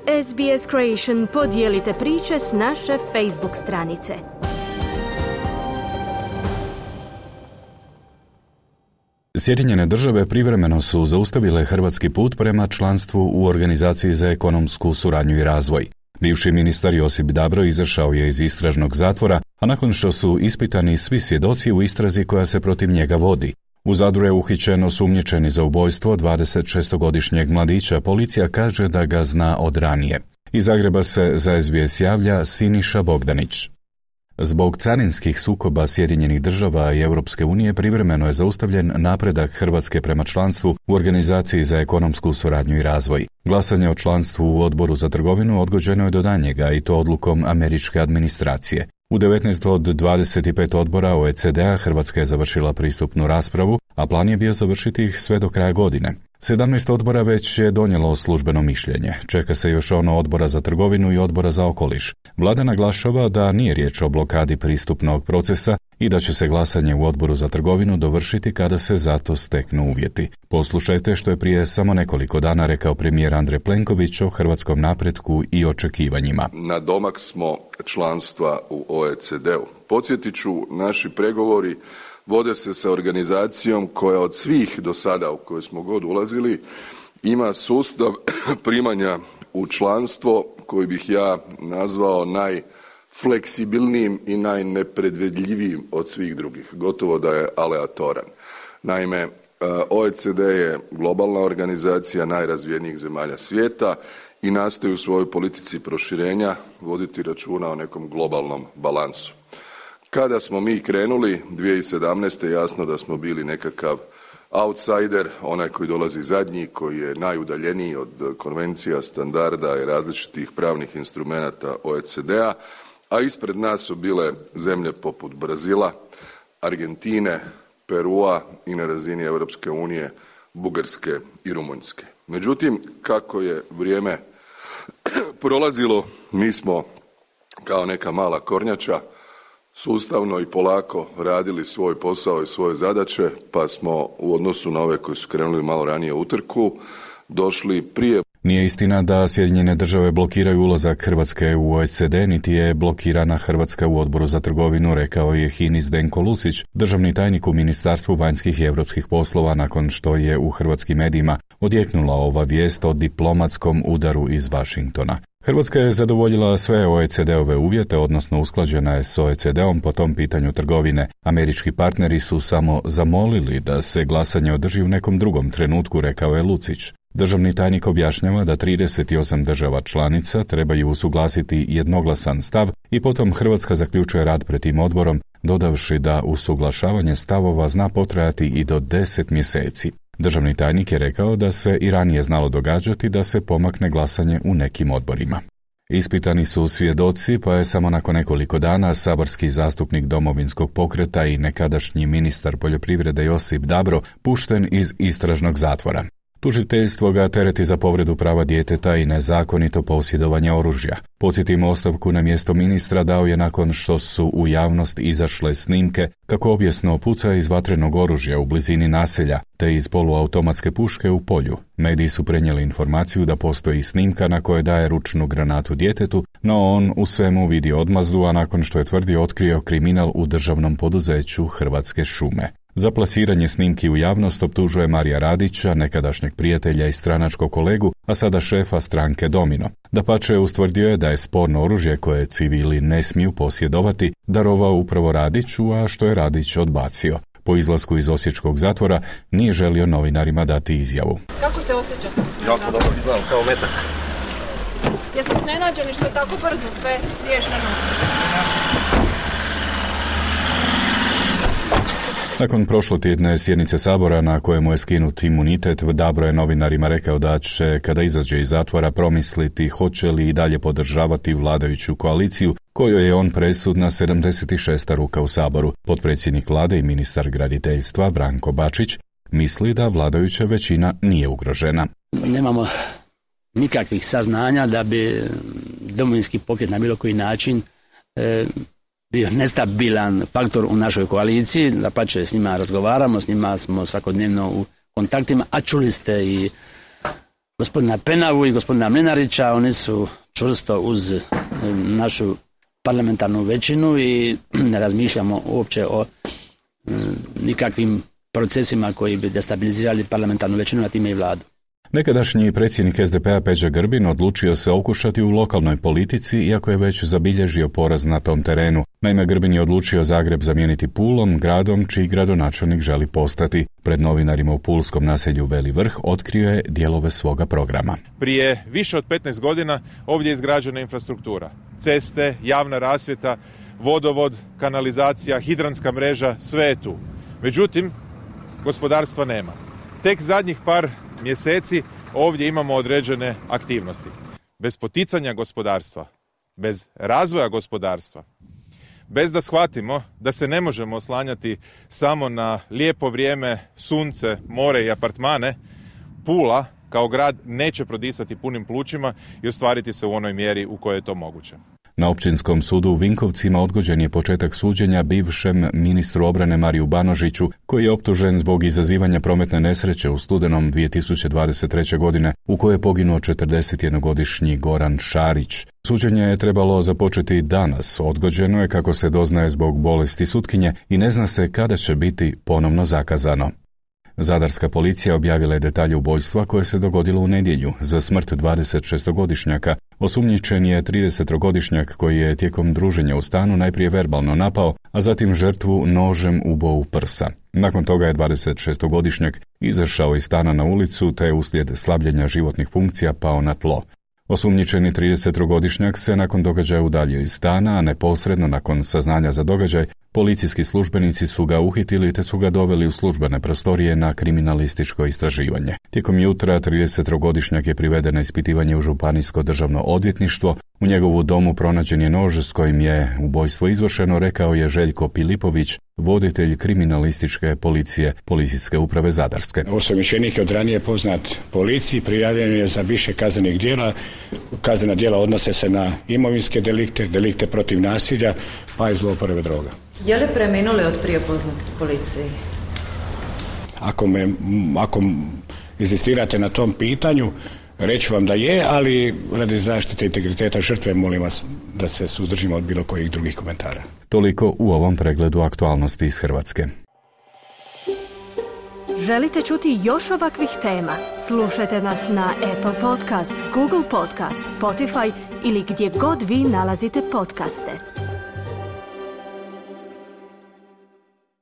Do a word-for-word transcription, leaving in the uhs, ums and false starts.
S B S Creation podijelite priče s naše Facebook stranice. Sjedinjene države privremeno su zaustavile hrvatski put prema članstvu u Organizaciji za ekonomsku suradnju i razvoj. Bivši ministar Josip Dabro izašao je iz istražnog zatvora, a nakon što su ispitani svi svjedoci u istrazi koja se protiv njega vodi. U Zadru je uhićen osumnjičeni za ubojstvo dvadesetšestogodišnjeg mladića, policija kaže da ga zna od ranije. Iz Zagreba se za S B S javlja Siniša Bogdanić. Zbog carinskih sukoba Sjedinjenih država i Europske unije privremeno je zaustavljen napredak Hrvatske prema članstvu u Organizaciji za ekonomsku suradnju i razvoj. Glasanje o članstvu u Odboru za trgovinu odgođeno je do daljnjega i to odlukom američke administracije. U devetnaest od dvadeset pet odbora O E C D-a Hrvatska je završila pristupnu raspravu, a plan je bio završiti ih sve do kraja godine. sedamnaest odbora već je donijelo službeno mišljenje. Čeka se još ono Odbora za trgovinu i Odbora za okoliš. Vlada naglašava da nije riječ o blokadi pristupnog procesa i da će se glasanje u Odboru za trgovinu dovršiti kada se za to steknu uvjeti. Poslušajte što je prije samo nekoliko dana rekao premijer Andrej Plenković o hrvatskom napretku i očekivanjima. Na domak smo članstva u O E C D-u. Podsjetit ću, naši pregovori vode se sa organizacijom koja od svih do sada u koje smo god ulazili ima sustav primanja u članstvo koji bih ja nazvao najfleksibilnijim i najnepredvidljivijim od svih drugih. Gotovo da je aleatoran. Naime, O E C D je globalna organizacija najrazvijenijih zemalja svijeta i nastoji u svojoj politici proširenja voditi računa o nekom globalnom balansu. Kada smo mi krenuli dvije tisuće sedamnaeste jasno da smo bili nekakav outsider, onaj koji dolazi zadnji, koji je najudaljeniji od konvencija, standarda i različitih pravnih instrumenata O E C D-a, a ispred nas su bile zemlje poput Brazila, Argentine, Perua i na razini Europske unije, Bugarske i Rumunjske. Međutim, kako je vrijeme prolazilo, mi smo kao neka mala kornjača sustavno i polako radili svoj posao i svoje zadaće, pa smo u odnosu na ove koji su krenuli malo ranije u trku došli prije. Nije istina da Sjedinjene države blokiraju ulazak Hrvatske u O E C D, niti je blokirana Hrvatska u Odboru za trgovinu, rekao je Hinis Zdenko Lucić, državni tajnik u Ministarstvu vanjskih i europskih poslova, nakon što je u hrvatskim medijima odjeknula ova vijest o diplomatskom udaru iz Washingtona. Hrvatska je zadovoljila sve O E C D-ove uvjete, odnosno usklađena je s O E C D-om po tom pitanju trgovine. Američki partneri su samo zamolili da se glasanje održi u nekom drugom trenutku, rekao je Lucić. Državni tajnik objašnjava da trideset osam država članica trebaju usuglasiti jednoglasan stav i potom Hrvatska zaključuje rad pred tim odborom, dodavši da usuglašavanje stavova zna potrajati i do deset mjeseci. Državni tajnik je rekao da se i ranije znalo događati da se pomakne glasanje u nekim odborima. Ispitani su svjedoci, pa je samo nakon nekoliko dana saborski zastupnik Domovinskog pokreta i nekadašnji ministar poljoprivrede Josip Dabro pušten iz istražnog zatvora. Tužiteljstvo ga tereti za povredu prava djeteta i nezakonito posjedovanje oružja. Podsjetimo, ostavku na mjesto ministra dao je nakon što su u javnost izašle snimke kako objesno puca iz vatrenog oružja u blizini naselja, te iz poluautomatske puške u polju. Mediji su prenijeli informaciju da postoji snimka na kojoj daje ručnu granatu djetetu, no on u svemu vidi odmazdu, a nakon što je tvrdio otkrio kriminal u državnom poduzeću Hrvatske šume. Za plasiranje snimki u javnost optužuje Marija Radića, nekadašnjeg prijatelja i stranačkog kolegu, a sada šefa stranke Domino. Dapače, ustvrdio je da je sporno oružje koje civili ne smiju posjedovati darovao upravo Radiću, a što je Radić odbacio. Po izlasku iz osječkog zatvora nije želio novinarima dati izjavu. Kako se osjećate? Jako dobro znam, kao metak. Jeste iznenađeni što je tako brzo sve riješeno? Nakon prošlotjedne sjednice Sabora na kojemu je skinut imunitet, Dabro je novinarima rekao da će, kada izađe iz zatvora, promisliti hoće li i dalje podržavati vladajuću koaliciju, kojoj je on presudna sedamdeset šesta ruka u Saboru. Potpredsjednik vlade i ministar graditeljstva Branko Bačić misli da vladajuća većina nije ugrožena. Nemamo nikakvih saznanja da bi Domovinski pokret na bilo koji način e, bio nestabilan faktor u našoj koaliciji. Dapače, s njima razgovaramo, s njima smo svakodnevno u kontaktima, a čuli ste i gospodina Penavu i gospodina Mlinarića. Oni su čvrsto uz našu parlamentarnu većinu i ne razmišljamo uopće o nikakvim procesima koji bi destabilizirali parlamentarnu većinu, a time i vladu. Nekadašnji predsjednik es de pe-a Peđa Grbin odlučio se okušati u lokalnoj politici, iako je već zabilježio poraz na tom terenu. Naime, Grbin je odlučio Zagreb zamijeniti Pulom, gradom čiji gradonačelnik želi postati. Pred novinarima u pulskom naselju Veli Vrh otkrio je dijelove svoga programa. Prije više od petnaest godina ovdje je izgrađena infrastruktura. Ceste, javna rasvjeta, vodovod, kanalizacija, hidranska mreža, sve je tu. Međutim, gospodarstva nema. Tek zadnjih par mjeseci ovdje imamo određene aktivnosti. Bez poticanja gospodarstva, bez razvoja gospodarstva, bez da shvatimo da se ne možemo oslanjati samo na lijepo vrijeme, sunce, more i apartmane, Pula kao grad neće prodisati punim plućima i ostvariti se u onoj mjeri u kojoj je to moguće. Na Općinskom sudu u Vinkovcima odgođen je početak suđenja bivšem ministru obrane Mariju Banožiću, koji je optužen zbog izazivanja prometne nesreće u studenom dvije tisuće dvadeset treće. godine, u kojoj je poginuo četrdesetjednogodišnji Goran Šarić. Suđenje je trebalo započeti danas, odgođeno je kako se doznaje zbog bolesti sutkinje i ne zna se kada će biti ponovno zakazano. Zadarska policija objavila je detalje ubojstva koje se dogodilo u nedjelju. Za smrt dvadesetšestogodišnjaka osumnjičen je tridesetogodišnjak koji je tijekom druženja u stanu najprije verbalno napao, a zatim žrtvu nožem uboo u prsa. Nakon toga je dvadesetšestogodišnjak izašao iz stana na ulicu te je uslijed slabljenja životnih funkcija pao na tlo. Osumnjičeni tridesetogodišnjak se nakon događaja udaljio iz stana, a neposredno nakon saznanja za događaj, policijski službenici su ga uhitili te su ga doveli u službene prostorije na kriminalističko istraživanje. Tijekom jutra tridesetogodišnjak je priveden na ispitivanje u Županijsko državno odvjetništvo. U njegovu domu pronađen je nož s kojim je ubojstvo izvršeno, rekao je Željko Pilipović, voditelj kriminalističke policije Policijske uprave Zadarske. Osumnjičenik je od ranije poznat policiji, prijavljen je za više kaznenih djela. Kaznena djela odnose se na imovinske delikte, delikte protiv nasilja, pa i zlouporabe droga. Je li preminuli od prije poznat policiji? Ako me, ako inzistirate na tom pitanju, reću vam da je, ali radi zaštite integriteta žrtve molim vas da se suzdržimo od bilo kojih drugih komentara. Toliko u ovom pregledu aktualnosti iz Hrvatske. Želite čuti još ovakvih tema? Slušajte nas na Apple Podcast, Google Podcast, Spotify ili gdje god vi nalazite podcaste.